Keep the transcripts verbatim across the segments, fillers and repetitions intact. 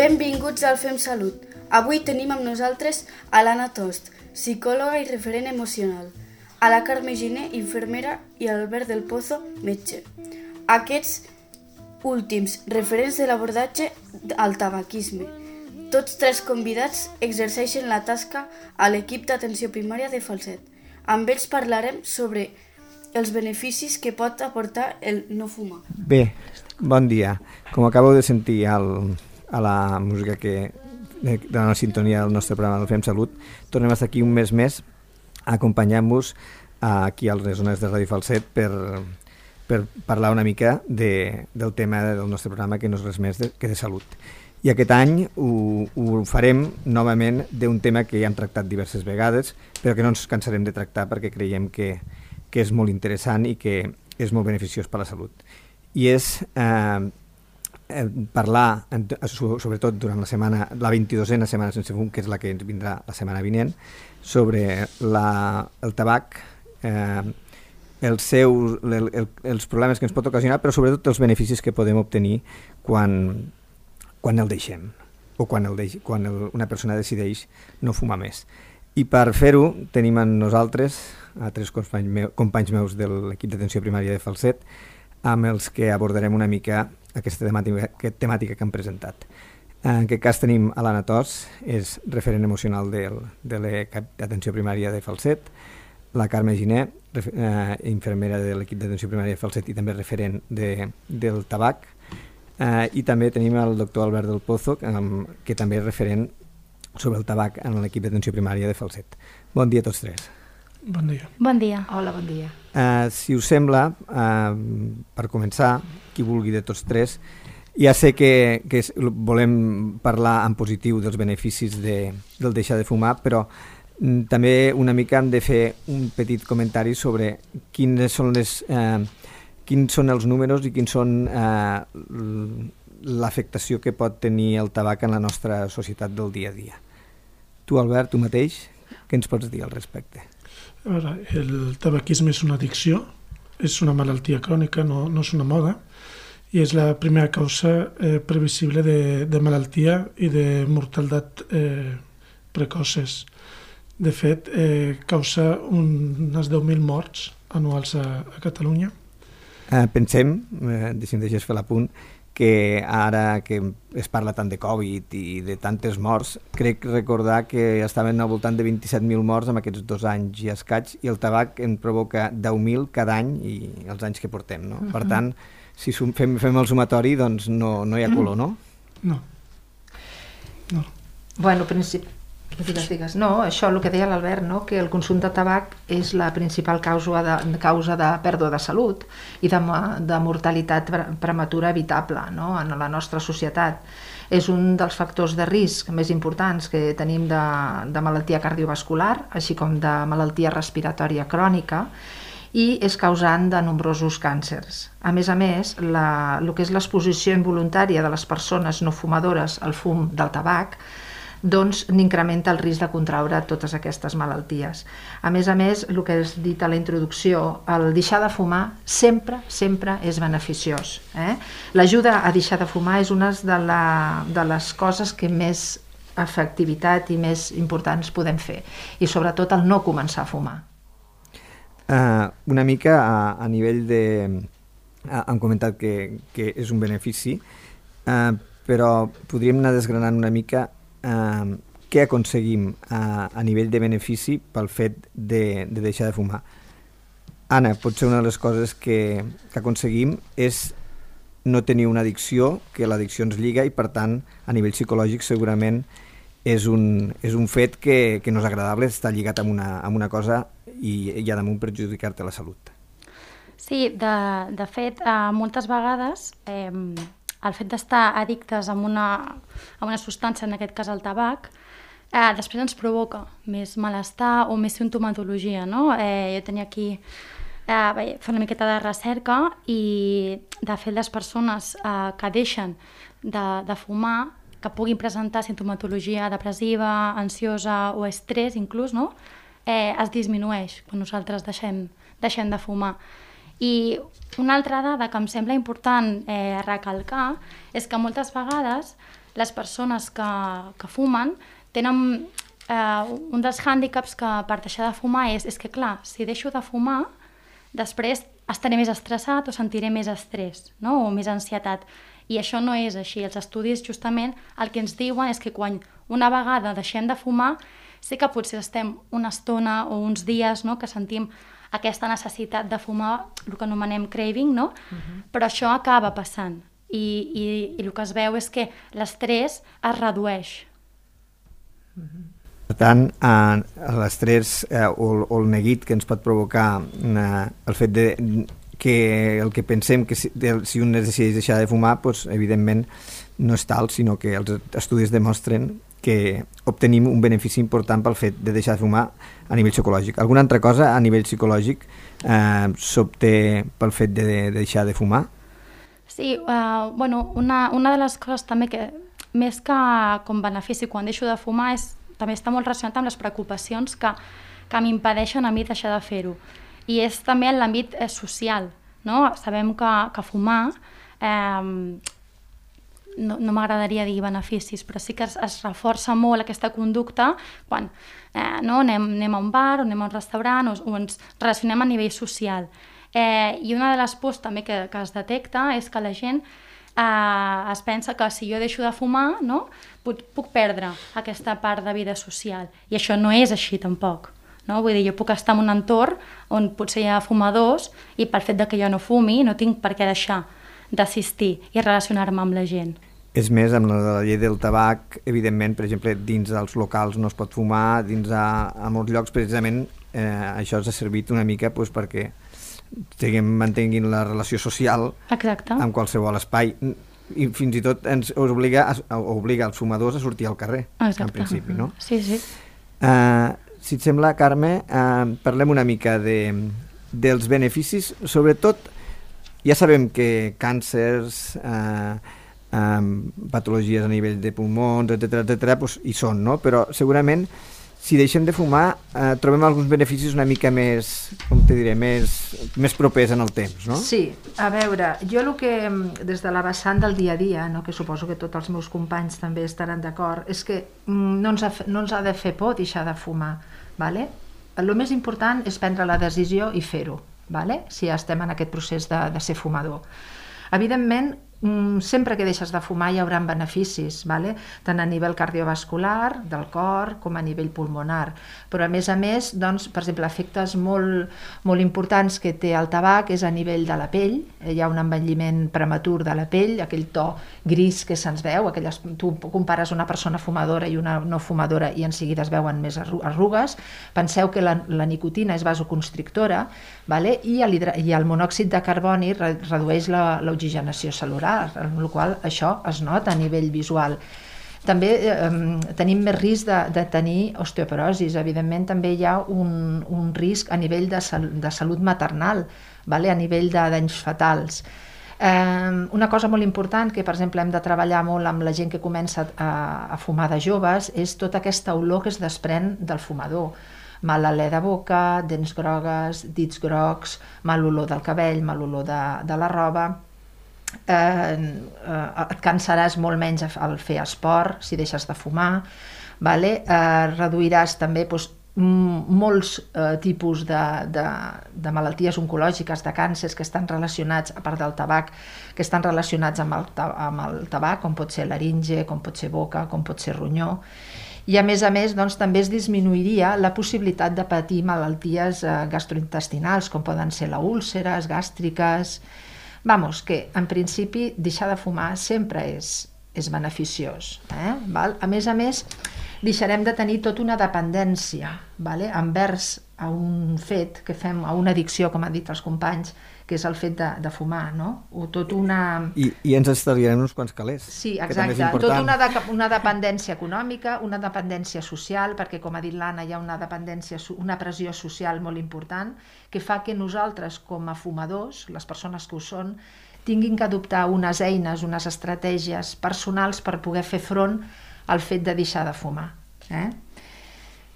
Benvinguts al Fem Salut. Avui tenim amb nosaltres a l'Anna Tost, psicòloga i referent emocional, a la Carme Giner, infermera, i a l'Albert del Pozo, metge. Aquests últims referents de l'abordatge al tabaquisme. Tots tres convidats exerceixen la tasca a l'equip d'atenció primària de Falset. Amb ells parlarem sobre els beneficis que pot aportar el no fumar. Bé, bon dia. Com acabeu de sentir al, a la música que de, de la sintonia del nostre programa del Fem Salut, tornem a estar aquí un mes més acompanyant-vos aquí a les zones de Ràdio Falset per, per parlar una mica de, del tema del nostre programa, que no és res més de, que de salut. I aquest any ho, ho farem novament d'un tema que ja hem tractat diverses vegades, però que no ens cansarem de tractar perquè creiem que, que és molt interessant i que és molt beneficiós per a la salut. I és eh, parlar, sobretot durant la setmana, la vint-i-dosena setmana sense fum, que és la que ens vindrà la setmana vinent, sobre la, el tabac, eh, els, seus, el, el, els problemes que ens pot ocasionar, però sobretot els beneficis que podem obtenir quan, quan el deixem, o quan, el deix, quan el, una persona decideix no fumar més. I per fer-ho tenim amb nosaltres a tres companys, meu, companys meus de l'equip d'atenció primària de Falset, amb els que abordarem una mica aquesta temàtica, aquesta temàtica que han presentat. En aquest cas tenim a l'Anna Tost, és referent emocional del, de l'equip d'atenció primària de Falset, la Carme Giner, eh, infermera de l'equip d'atenció primària de Falset i també referent de, del tabac, eh, i també tenim el doctor Albert del Pozo, que, que també és referent sobre el tabac en l'equip d'atenció primària de Falset. Bon dia a tots tres. Bon dia. Bon dia. Hola, bon dia. Uh, si us sembla, uh, per començar, qui vulgui de tots tres, ja sé que, que volem parlar en positiu dels beneficis de, del deixar de fumar, però mm, també una mica hem de fer un petit comentari sobre quines són les, uh, quins són els números i quins són uh, l'afectació que pot tenir el tabac en la nostra societat del dia a dia. Tu, Albert, tu mateix, què ens pots dir al respecte? A veure, el tabaquisme és una addicció, és una malaltia crònica, no, no és una moda, i és la primera causa eh, previsible de, de malaltia i de mortalitat eh, precoces. De fet, eh, causa un, unes deu mil morts anuals a, a Catalunya. Eh, pensem, eh, deixem de fer l'apunt, que ara que es parla tant de Covid i de tantes morts, crec recordar que estaven al voltant de vint-i-set mil morts en aquests dos anys i escaig, i el tabac en provoca deu mil cada any i els anys que portem, no? Uh-huh. Per tant, si fem, fem el sumatori, doncs no, no hi ha color, no? No. No. Bueno, principi... Digues, digues. No, això el que deia l'Albert, no? Que el consum de tabac és la principal causa de, causa de pèrdua de salut i de, de mortalitat prematura evitable, no? En la nostra societat. És un dels factors de risc més importants que tenim de, de malaltia cardiovascular, així com de malaltia respiratòria crònica, i és causant de nombrosos càncers. A més a més, la, el que és l'exposició involuntària de les persones no fumadores al fum del tabac doncs n'incrementa el risc de contraure totes aquestes malalties. A més a més, el que has dit a la introducció, el deixar de fumar sempre, sempre és beneficiós. Eh? L'ajuda a deixar de fumar és una de, la, de les coses que més efectivitat i més importants podem fer, i sobretot el no començar a fumar. Uh, una mica a, a nivell de... Uh, han comentat que, que és un benefici, uh, però podríem anar desgranant una mica Uh, què aconseguim uh, a nivell de benefici pel fet de, de deixar de fumar. Anna, potser una de les coses que, que aconseguim és no tenir una addicció, que l'addicció ens lliga i per tant a nivell psicològic segurament és un, és un fet que, que no és agradable estar lligat amb una, amb una cosa i, i a damunt perjudicar-te la salut. Sí, de, de fet, eh, moltes vegades eh, el fet d'estar addictes a una, a una substància, en aquest cas el tabac, eh, després ens provoca més malestar o més sintomatologia, no? Eh, jo tenia aquí eh, fer una miqueta de recerca i, de fet, les persones eh, que deixen de, de fumar, que puguin presentar sintomatologia depressiva, ansiosa o estrès inclús, no? eh, es disminueix quan nosaltres deixem, deixem de fumar. I una altra dada que em sembla important eh, recalcar és que moltes vegades les persones que, que fumen tenen eh, un dels hàndicaps que per deixar de fumar és, és que, clar, si deixo de fumar, després estaré més estressat o sentiré més estrès, no? O més ansietat. I això no és així. Els estudis justament el que ens diuen és que quan una vegada deixem de fumar, sí que potser estem una estona o uns dies, no?, que sentim aquesta necessitat de fumar, el que anomenem craving, no? Uh-huh. Però això acaba passant. I, i, i el que es veu és que l'estrès es redueix. Uh-huh. Per tant, eh, l'estrès eh, o, o el neguit que ens pot provocar eh, el fet de que el que pensem que si, de, si un es decideix deixar de fumar, doncs, evidentment no és tal, sinó que els estudis demostren que obtenim un benefici important pel fet de deixar de fumar a nivell psicològic. Alguna altra cosa a nivell psicològic eh, s'obté pel fet de, de deixar de fumar? Sí, uh, bueno, una, una de les coses també que, més que com benefici quan deixo de fumar, és, també està molt relacionat amb les preocupacions que, que m'impedeixen a mi deixar de fer-ho. I és també en l'àmbit eh, social, no? Sabem que, que fumar, eh, no, no m'agradaria dir beneficis, però sí que es, es reforça molt aquesta conducta quan eh, no? anem, anem a un bar o anem a un restaurant o, o ens relacionem a nivell social. Eh, I una de les pors també que, que es detecta és que la gent eh, es pensa que si jo deixo de fumar, no? puc, puc perdre aquesta part de vida social. I això no és així tampoc. No? Vull dir, jo puc estar en un entorn on potser hi ha fumadors i pel fet de que jo no fumi no tinc per què deixar d'assistir i relacionar-me amb la gent. És més, amb la llei del tabac, evidentment, per exemple, dins dels locals no es pot fumar, dins a, a molts llocs, precisament, eh, això ens ha servit una mica doncs, perquè tinguem, mantinguin la relació social Exacte. Amb qualsevol espai. I fins i tot ens obliga, obliga els fumadors a sortir al carrer, Exacte. En principi, no? Sí, sí. Uh, si et sembla, Carme, uh, parlem una mica de, dels beneficis, sobretot, ja sabem que càncers, uh, um, patologies a nivell de pulmons, etcètera, etcètera, doncs hi són, no? Però segurament, si deixem de fumar, uh, trobem alguns beneficis una mica més, com te diré, més, més propers en el temps, no? Sí, a veure, jo el que, des de la vessant del dia a dia, no, que suposo que tots els meus companys també estaran d'acord, és que no ens, ha, no ens ha de fer por deixar de fumar, vale? El més important és prendre la decisió i fer-ho, vale? Si estem en aquest procés de, de ser fumador. Evidentment, sempre que deixes de fumar hi haurà beneficis, vale? Tant a nivell cardiovascular, del cor, com a nivell pulmonar. Però a més a més, doncs, per exemple, efectes molt, molt importants que té el tabac és a nivell de la pell. Hi ha un envelliment prematur de la pell, aquell to gris que se'ns veu, aquelles, tu compares una persona fumadora i una no fumadora i en seguida es veuen més arrugues. Penseu que la, la nicotina és vasoconstrictora, vale? I, el, i el monòxid de carboni re, redueix l'oxigenació celular, amb la qual cosa això es nota a nivell visual. També eh, tenim més risc de, de tenir osteoporosis. Evidentment també hi ha un, un risc a nivell de, sal, de salut maternal, vale? A nivell de danys fatals. Eh, una cosa molt important que, per exemple, hem de treballar molt amb la gent que comença a, a fumar de joves és tota aquesta olor que es desprèn del fumador. Mal alè de boca, dents grogues, dits grocs, mal olor del cabell, mal olor de, de la roba. Eh, eh, et cansaràs molt menys al fer esport si deixes de fumar, vale? Eh, reduiràs també doncs, molts eh, tipus de, de, de malalties oncològiques, de càncers que estan relacionats, a part del tabac, que estan relacionats amb el, amb el tabac, com pot ser laringe, com pot ser boca, com pot ser ronyó. I a més a més doncs, també es disminuiria la possibilitat de patir malalties eh, gastrointestinals, com poden ser les úlceres gàstriques. Vamos, que en principi deixar de fumar sempre és, és beneficiós. Eh? Val? A més a més, deixarem de tenir tota una dependència, vale? Envers a un fet que fem, a una addicció, com han dit els companys, que és el fet de, de fumar, no? O tot una... I, i ens estalviarem uns quants calés. Sí, exacte. Tota una, de, una dependència econòmica, una dependència social, perquè, com ha dit l'Anna, hi ha una dependència, una pressió social molt important, que fa que nosaltres, com a fumadors, les persones que ho són, tinguin que adoptar unes eines, unes estratègies personals per poder fer front al fet de deixar de fumar. Eh?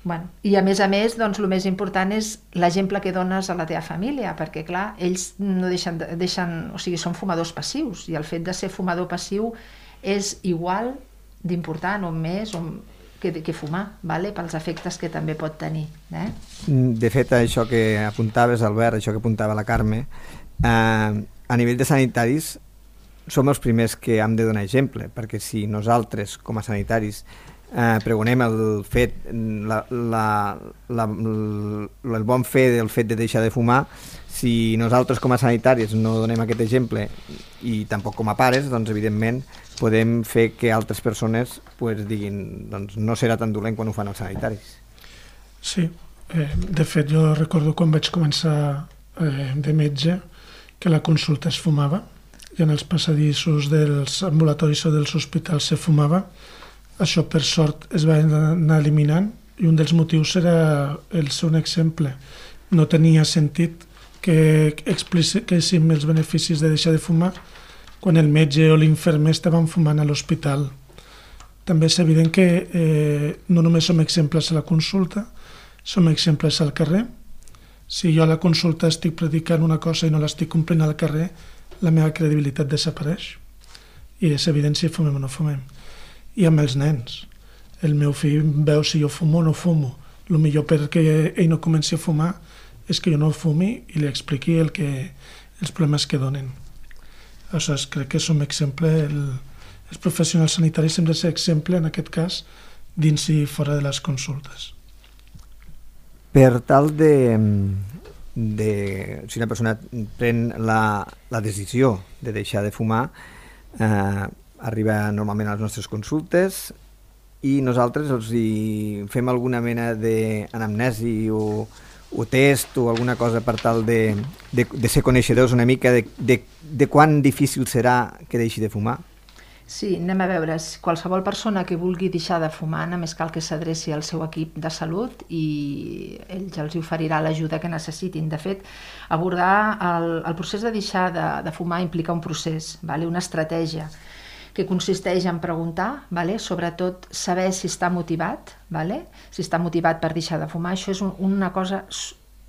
Bueno, i a més a més, doncs, el més important és l'exemple que dones a la teva família, perquè clar, ells no deixen, deixen, o sigui, són fumadors passius, i el fet de ser fumador passiu és igual d'important o més o que, que fumar, vale? Pels efectes que també pot tenir. Eh? De fet, això que apuntaves, Albert, això que apuntava la Carme, eh, a nivell de sanitaris som els primers que hem de donar exemple, perquè si nosaltres, com a sanitaris, eh, pregonem el fet, la, la, la, la, el bon fe del fet de deixar de fumar, si nosaltres com a sanitaris no donem aquest exemple i tampoc com a pares, doncs evidentment podem fer que altres persones pues, diguin doncs, no serà tan dolent quan ho fan els sanitaris. Sí, eh, de fet jo recordo quan vaig començar eh, de metge que la consulta es fumava i en els passadissos dels ambulatoris o dels hospitals se fumava. Això per sort es va anar eliminant i un dels motius era el ser un exemple. No tenia sentit que expliquéssim els beneficis de deixar de fumar quan el metge o l'infermer estaven fumant a l'hospital. També és evident que eh, no només som exemples a la consulta, som exemples al carrer. Si jo a la consulta estic predicant una cosa i no l'estic complint al carrer, la meva credibilitat desapareix. I és evident si fumem o no fumem. I amb els nens. El meu fill veu si jo fumo o no fumo. El millor perquè ell no comenci a fumar és que jo no fumi i li expliqui el que, els problemes que donen. Aleshores, crec que som exemple, el, els professionals sanitaris hem de ser exemple, en aquest cas, dins i fora de les consultes. Per tal de, de si una persona pren la, la decisió de deixar de fumar, eh, arriba normalment a les nostres consultes i nosaltres els hi fem alguna mena d'anamnesi o o test o alguna cosa per tal de, de, de ser coneixedors una mica de, de, de quan difícil serà que deixi de fumar? Sí, anem a veure. Qualsevol persona que vulgui deixar de fumar només cal que s'adreci al seu equip de salut i ell ja els oferirà l'ajuda que necessitin. De fet, abordar el, el procés de deixar de, de fumar implica un procés, vale? Una estratègia que consisteix en preguntar, vale? Sobretot saber si està motivat, vale? Si està motivat per deixar de fumar. Això és un, una cosa,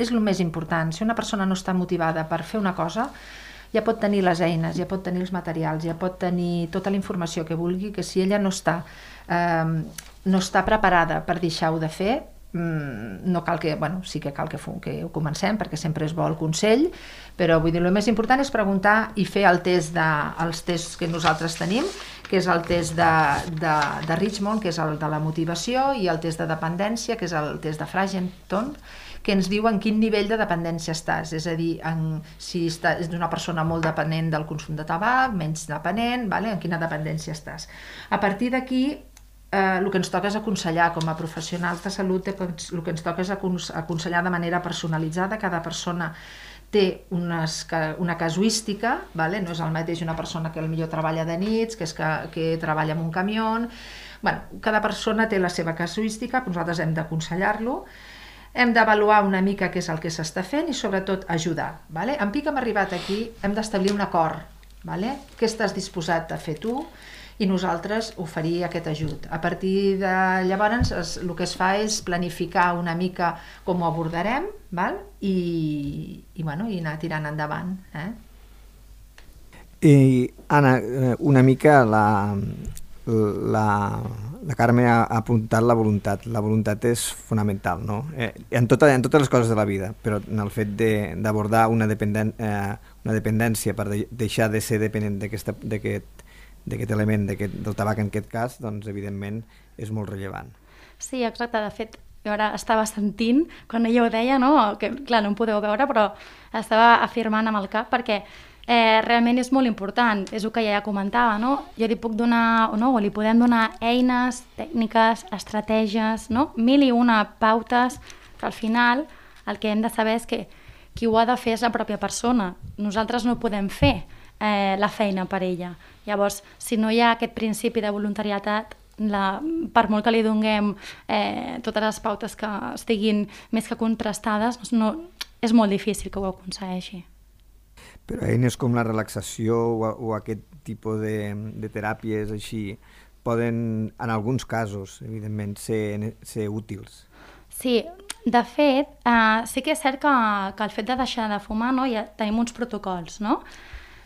és el més important. Si una persona no està motivada per fer una cosa, ja pot tenir les eines, ja pot tenir els materials, ja pot tenir tota la informació que vulgui, que si ella no està, eh, no està preparada per deixar-ho de fer, no cal que, bueno, sí que cal que, que ho comencem perquè sempre és bo el consell, però vull dir, el més important és preguntar i fer el test de, els tests que nosaltres tenim, que és el test de, de, de Richmond, que és el de la motivació, i el test de dependència, que és el test de Fragenton, que ens diu en quin nivell de dependència estàs, és a dir, en, si estàs, és una persona molt dependent del consum de tabac, menys dependent, vale? En quina dependència estàs. A partir d'aquí, Eh, el que ens toca és aconsellar com a professionals de salut, el que ens toca és aconsellar de manera personalitzada. Cada persona té unes, una casuística, vale? No és el mateix una persona que potser treballa de nits, que, és que, que treballa en un camió. Bueno, cada persona té la seva casuística, nosaltres hem d'aconsellar-lo, hem d'avaluar una mica què és el que s'està fent i sobretot ajudar. Vale? En pic hem arribat aquí, hem d'establir un acord. Vale? Què estàs disposat a fer tu? I nosaltres oferir aquest ajut. A partir de llavors es, el que es fa és planificar una mica com ho abordarem, val? I, i, bueno, i anar tirant endavant. Eh? I, Anna, una mica la, la, la Carme ha apuntat la voluntat. La voluntat és fonamental, no? Eh, en, tota, en totes les coses de la vida, però en el fet d'abordar una, dependen, eh, una dependència per de, deixar de ser dependent d'aquest d'aquest element, del tabac en aquest cas, doncs evidentment és molt rellevant. Sí, exacte. De fet, jo ara estava sentint, quan ella ho deia, no? Que clar, no em podeu veure, però estava afirmant amb el cap perquè eh, realment és molt important, és el que ja comentava, no? Jo li puc donar, no? O li podem donar eines, tècniques, estratègies, no? Mil i una pautes, però al final el que hem de saber és que qui ho ha de fer és la pròpia persona. Nosaltres no podem fer eh, la feina per ella. Llavors, si no hi ha aquest principi de voluntariat, la, per molt que li donem eh, totes les pautes que estiguin més que contrastades, no, és molt difícil que ho aconsegueixi. Però eines com la relaxació o, o aquest tipus de, de teràpies així poden, en alguns casos, evidentment, ser, ser útils. Sí, de fet, eh, sí que és cert que, que el fet de deixar de fumar, no, ja tenim uns protocols, no?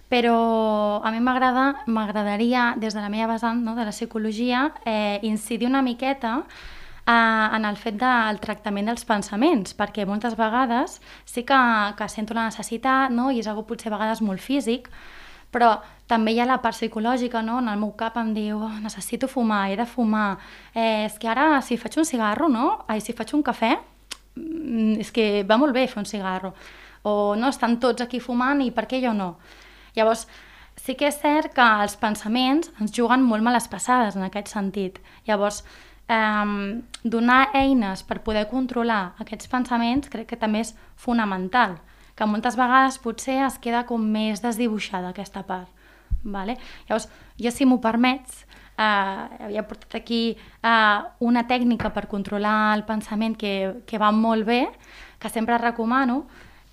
però a mi m'agrada, m'agradaria, des de la meva vessant, no, de la psicologia, eh, incidir una miqueta eh, en el fet del tractament dels pensaments, perquè moltes vegades sí que, que sento la necessitat, no, i és algo potser a vegades molt físic, però també hi ha la part psicològica, no? En el meu cap em diu, oh, necessito fumar, he de fumar, eh, és que ara si faig un cigarro, no? Ai, si faig un cafè, és que va molt bé fer un cigarro, o no, estan tots aquí fumant i per què jo no? Llavors, sí que és cert que els pensaments ens juguen molt males passades en aquest sentit. Llavors, eh, donar eines per poder controlar aquests pensaments crec que també és fonamental, que moltes vegades potser es queda com més desdibuixada aquesta part. Vale? Llavors, jo, si m'ho permets, eh, havia portat aquí eh, una tècnica per controlar el pensament que, que va molt bé, que sempre recomano,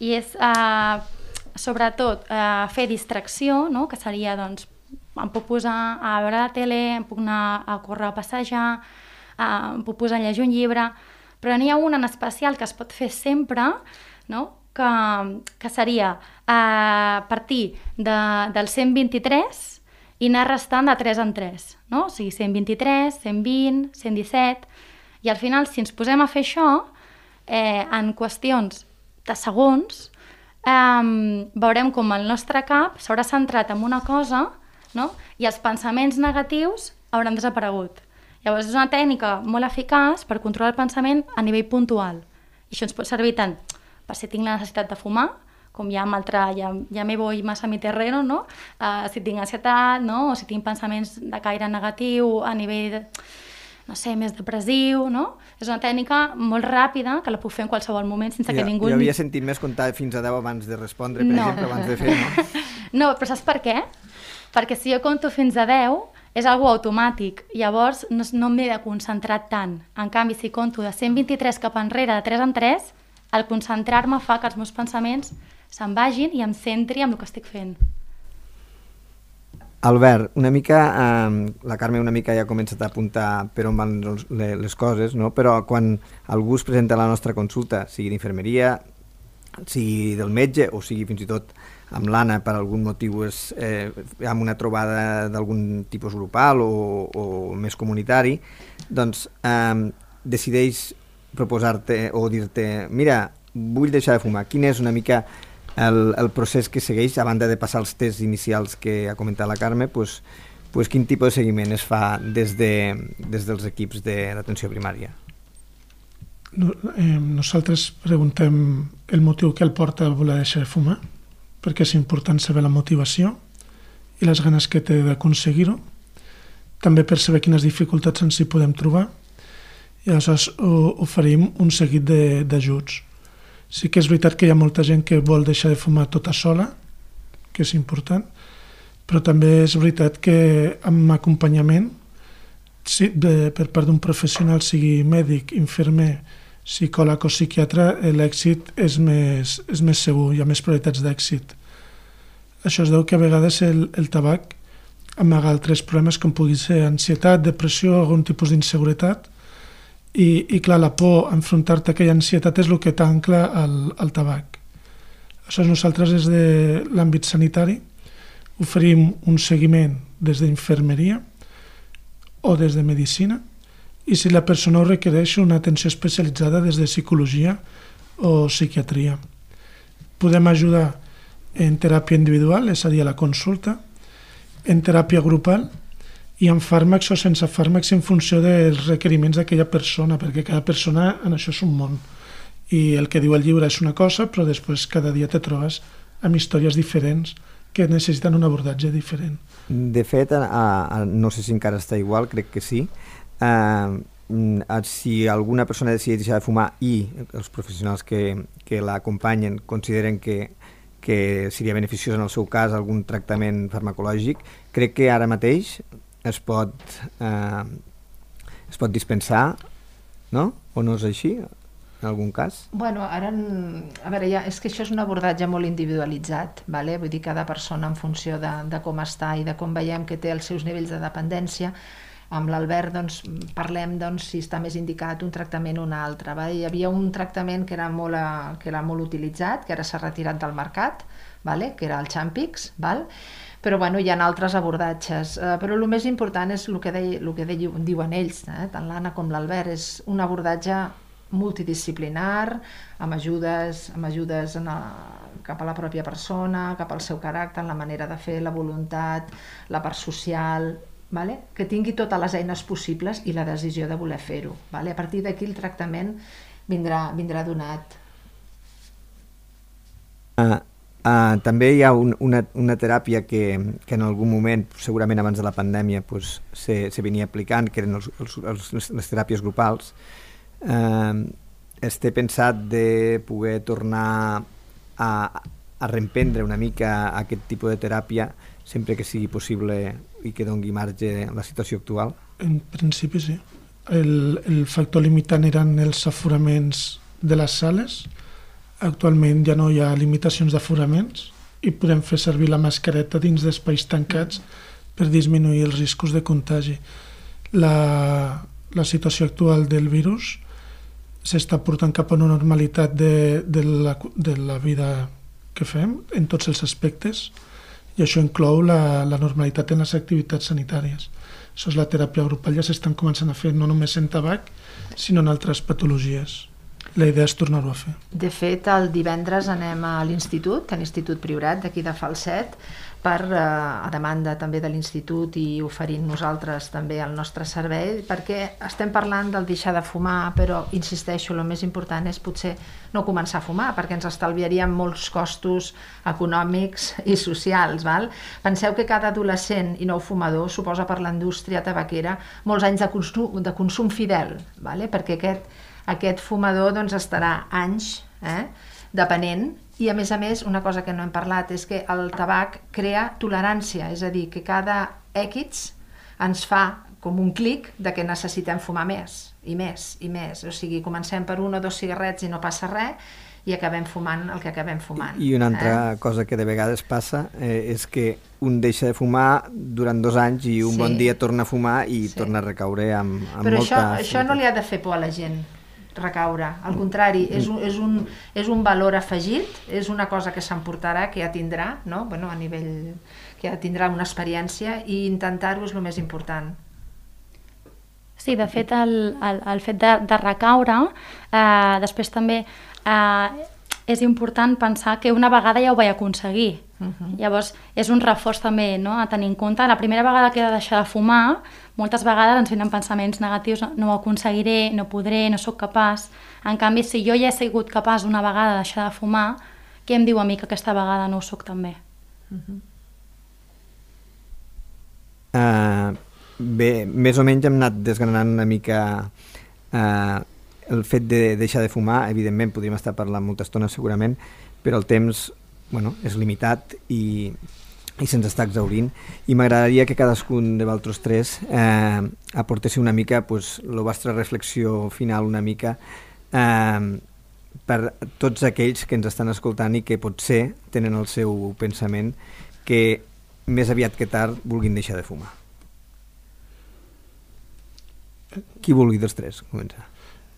i és eh, sobretot eh, fer distracció, no? Que seria, doncs, em puc posar a veure la tele, em puc anar a córrer a passejar, eh, em puc posar a llegir un llibre, però n'hi ha un en especial que es pot fer sempre, no? que, que seria eh, partir de, del cent vint-i-tres i anar restant de tres en tres, no? O sigui, cent vint-i-tres, cent vint, cent disset, i al final, si ens posem a fer això, eh, en qüestions de segons, eh, veurem com el nostre cap s'haurà centrat en una cosa, no? I els pensaments negatius hauran desaparegut. Llavors, és una tècnica molt eficaç per controlar el pensament a nivell puntual. I això ens pot servir tant per si tinc la necessitat de fumar, com ja amb altra, ja, ja me voy más a mi terreno, no? Uh, si tinc ansietat, no? O si tinc pensaments de caire negatiu a nivell, de, no sé, més depressiu, no? És una tècnica molt ràpida que la puc fer en qualsevol moment sense jo, que ningú... Jo havia sentit més comptar fins a deu abans de respondre, per no. exemple, abans de fer, no? No, però saps per què? Perquè si jo compto fins a deu, és algo automàtic, llavors no, no m'he de concentrar tant. En canvi, si compto de cent vint-i-tres cap enrere, de tres en tres, el concentrar-me fa que els meus pensaments se'n vagin i em centri en el que estic fent. Albert, una mica, eh, la Carme una mica ja ha començat a apuntar per on van les coses, no? Però quan algú es presenta a la nostra consulta, sigui d'infermeria, sigui del metge o sigui fins i tot amb l'Anna per algun motiu és eh, amb una trobada d'algun tipus grupal o, o més comunitari, doncs eh, decideix proposar-te o dir-te, mira, vull deixar de fumar. Quin és una mica el, el procés que segueix, a banda de passar els tests inicials que ha comentat la Carme, pues, pues quin tipus de seguiment es fa des, de, des dels equips de l'atenció primària? No, eh, nosaltres preguntem el motiu que el porta a voler deixar de fumar, perquè és important saber la motivació i les ganes que té d'aconseguir-ho, també per saber quines dificultats ens hi podem trobar, i aleshores oferim un seguit d'ajuts. Sí que és veritat que hi ha molta gent que vol deixar de fumar tota sola, que és important, però també és veritat que amb acompanyament, sí, de, per part d'un professional, sigui mèdic, infermer, psicòleg o psiquiatre, l'èxit és més, és més segur, hi ha més probabilitats d'èxit. Això es deu que a vegades el, el tabac amaga altres problemes com pugui ser ansietat, depressió, algun tipus d'inseguretat, I, i clar, la por a enfrontar-te a aquella ansietat és el que t'ancla al, al tabac. Aleshores, nosaltres des de l'àmbit sanitari oferim un seguiment des d'infermeria o des de medicina i si la persona ho requereix una atenció especialitzada des de psicologia o psiquiatria. Podem ajudar en teràpia individual, és a dir, a la consulta, en teràpia grupal i amb fàrmacs o sense fàrmacs en funció dels requeriments d'aquella persona, perquè cada persona en això és un món. I el que diu el llibre és una cosa, però després cada dia te trobes amb històries diferents que necessiten un abordatge diferent. De fet, a, a, no sé si encara està igual, crec que sí, eh, si alguna persona decideix deixar de fumar i els professionals que, que l'acompanyen consideren que, que seria beneficiós en el seu cas algun tractament farmacològic, crec que ara mateix es pot, eh, es pot dispensar, no? O no és així, en algun cas? Bueno, ara, a veure, ja, és que això és un abordatge molt individualitzat, vale? Vull dir, cada persona en funció de, de com està i de com veiem que té els seus nivells de dependència, amb l'Albert doncs, parlem doncs, si està més indicat un tractament o un altre. Va? Hi havia un tractament que era molt, que era molt utilitzat, que ara s'ha retirat del mercat, vale? Que era el Champix, val? Però bueno, hi ha altres abordatges. Uh, però el més important és el que, deia, el que deia, diuen ells, eh? Tant l'Anna com l'Albert, és un abordatge multidisciplinar, amb ajudes, amb ajudes en el, cap a la pròpia persona, cap al seu caràcter, la manera de fer, la voluntat, la part social, vale? Que tingui totes les eines possibles i la decisió de voler fer-ho. Vale? A partir d'aquí el tractament vindrà, vindrà donat. Uh, uh, també hi ha un, una, una teràpia que, que en algun moment, segurament abans de la pandèmia, pues, se, se venia aplicant, que eren els, els, els, les teràpies grupals. Uh, es té pensat de poder tornar a, a reemprendre una mica aquest tipus de teràpia sempre que sigui possible i que doni marge a la situació actual? En principi sí. El, el factor limitant eren els aforaments de les sales. Actualment ja no hi ha limitacions d'aforaments i podem fer servir la mascareta dins d'espais tancats per disminuir els riscos de contagi. La, la situació actual del virus s'està portant cap a una normalitat de, de, la, de la vida que fem en tots els aspectes, i això inclou la, la normalitat en les activitats sanitàries. Això és la teràpia grupal, ja s'estan començant a fer no només en tabac, sinó en altres patologies. La idea és tornar-ho a fer. De fet, el divendres anem a l'Institut, a l'Institut Priorat d'aquí de Falset, per, eh, a demanda també de l'Institut i oferint nosaltres també el nostre servei, perquè estem parlant del deixar de fumar, però insisteixo, el més important és potser no començar a fumar, perquè ens estalviaríem molts costos econòmics i socials. Val? Penseu que cada adolescent i nou fumador suposa per la indústria tabaquera molts anys de consum, de consum fidel, vale? Perquè aquest, aquest fumador doncs, estarà anys eh, depenent. I a més a més, una cosa que no hem parlat és que el tabac crea tolerància, és a dir, que cada X ens fa com un clic de que necessitem fumar més, i més, i més. O sigui, comencem per un o dos cigarrets i no passa res, i acabem fumant el que acabem fumant. I una altra eh? cosa que de vegades passa eh, és que un deixa de fumar durant dos anys i un sí. bon dia torna a fumar i sí. torna a recaure amb, amb Però molta... Però això, això no li ha de fer por a la gent, recaure. Al contrari, és un, és un, és un valor afegit, és una cosa que s'emportarà, que ja tindrà, no? Bueno, a nivell que ja tindrà una experiència, i intentar-ho és el més important. Sí, de fet, el, el, el fet de, de recaure, eh, després també eh, és important pensar que una vegada ja ho vaig aconseguir. Uh-huh. Llavors, és un reforç també, no?, a tenir en compte. La primera vegada que he de deixar de fumar, moltes vegades ens venen pensaments negatius, no ho aconseguiré, no podré, no sóc capaç. En canvi, si jo ja he sigut capaç una vegada de deixar de fumar, què em diu a mi que aquesta vegada no ho sóc també? Uh-huh. Uh, bé, més o menys hem anat desgranant una mica uh, el fet de deixar de fumar. Evidentment podríem estar parlant molta estona segurament, però el temps, bueno, és limitat i, i se'ns està exhaurint, i m'agradaria que cadascun de vosaltres tres eh, aportéssiu una mica pues, la vostra reflexió final una mica eh, per tots aquells que ens estan escoltant i que potser tenen el seu pensament que més aviat que tard vulguin deixar de fumar. Qui vulgui dels tres començar?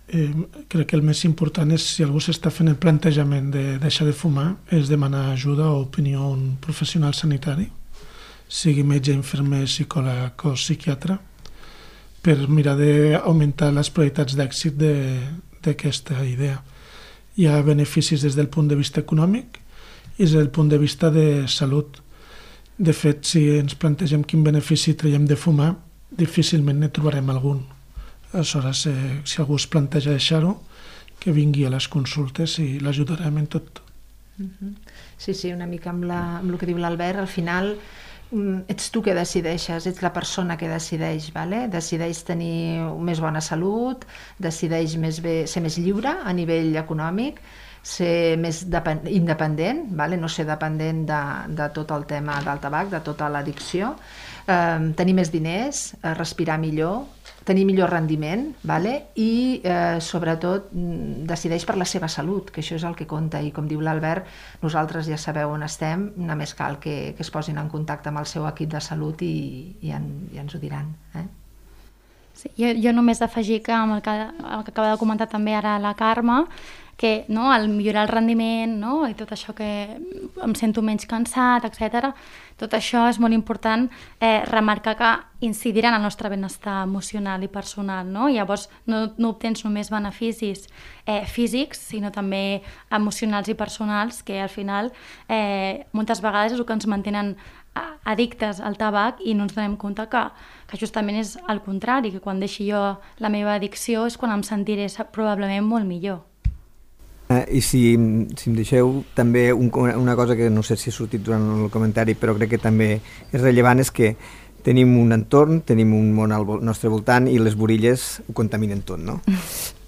Eh, crec que el més important és, si algú s'està fent el plantejament de deixar de fumar, és demanar ajuda o opinió a un professional sanitari, sigui metge, infermer, psicòleg o psiquiatre, per mirar d'augmentar les probabilitats d'èxit d'aquesta idea. Hi ha beneficis des del punt de vista econòmic i des del punt de vista de salut. De fet, si ens plantegem quin benefici traiem de fumar, difícilment ne trobarem algun. Aleshores, eh, si algú es planteja deixar-ho, que vingui a les consultes i l'ajudarem en tot. Uh-huh. Sí, sí, una mica amb, la, amb el que diu l'Albert, al final ets tu que decideixes, ets la persona que decideix, vale? Decideix tenir més bona salut, decideix més bé, ser més lliure a nivell econòmic, ser més depend, independent, vale? No ser dependent de, de tot el tema del tabac, de tota l'addicció, eh, tenir més diners, eh, respirar millor, tenir millor rendiment, vale? I eh, sobretot decideix per la seva salut, que això és el que compta, i com diu l'Albert, nosaltres ja sabeu on estem, només cal que, que es posin en contacte amb el seu equip de salut i, i, en, i ens ho diran. Eh? Sí, jo, jo només afegir que amb el que, el que acaba de comentar també ara la Carme, que no, al millorar el rendiment, no, i tot això que em sento menys cansat, etcètera, tot això és molt important eh, remarcar que incidirà en el nostre benestar emocional i personal, no? Llavors no, no obtens només beneficis eh, físics, sinó també emocionals i personals, que al final eh, moltes vegades és el que ens mantenen addictes al tabac i no ens donem compte que, que justament és el contrari, que quan deixi jo la meva addicció és quan em sentiré probablement molt millor. Eh, I si, si em deixeu també un, una cosa que no sé si ha sortit durant el comentari, però crec que també és rellevant, és que tenim un entorn, tenim un món al nostre voltant i les burilles ho contaminen tot, no?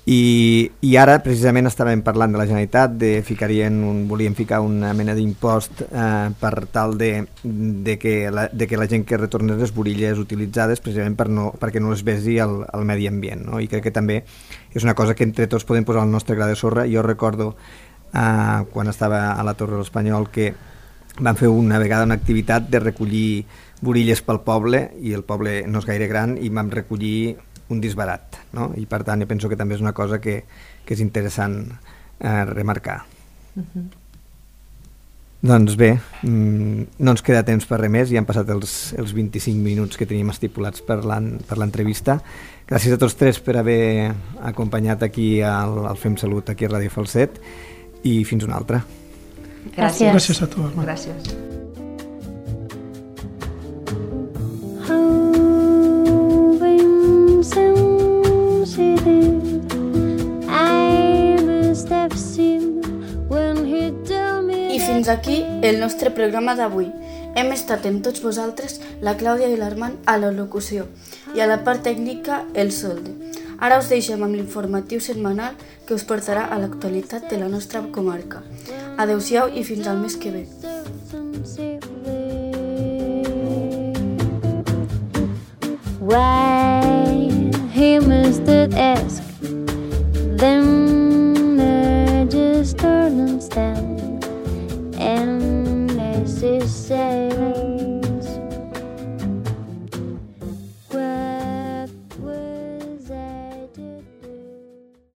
I, i ara precisament estàvem parlant de la Generalitat, de ficarien un, volíem ficar una mena d'impost eh, per tal de, de, que la, de que la gent que retornés les burilles utilitzades precisament per no, perquè no les besi al, al medi ambient, no? I crec que també és una cosa que entre tots podem posar el nostre gra de sorra. Jo recordo eh, quan estava a la Torre de l'Espanyol que van fer una vegada una activitat de recollir burilles pel poble, i el poble no és gaire gran, i vam recollir un disbarat, no? I per tant jo penso que també és una cosa que, que és interessant eh, remarcar. Uh-huh. Doncs bé, mmm, no ens queda temps per res més, ja han passat els, els vint-i-cinc minuts que teníem estipulats per l'entrevista. Gràcies a tots tres per haver acompanyat aquí al, al Fem Salut, aquí a Ràdio Falset, i fins una altra. Gràcies. Gràcies a tu, Armand. Gràcies. I fins aquí el nostre programa d'avui. Hem estat amb tots vosaltres, la Clàudia i l'Armand, a la locució, i a la part tècnica el Solde. Ara us deixem amb l'informatiu setmanal que us portarà a l'actualitat de la nostra comarca. Adéu-siau i fins al mes que ve. Why him is that ask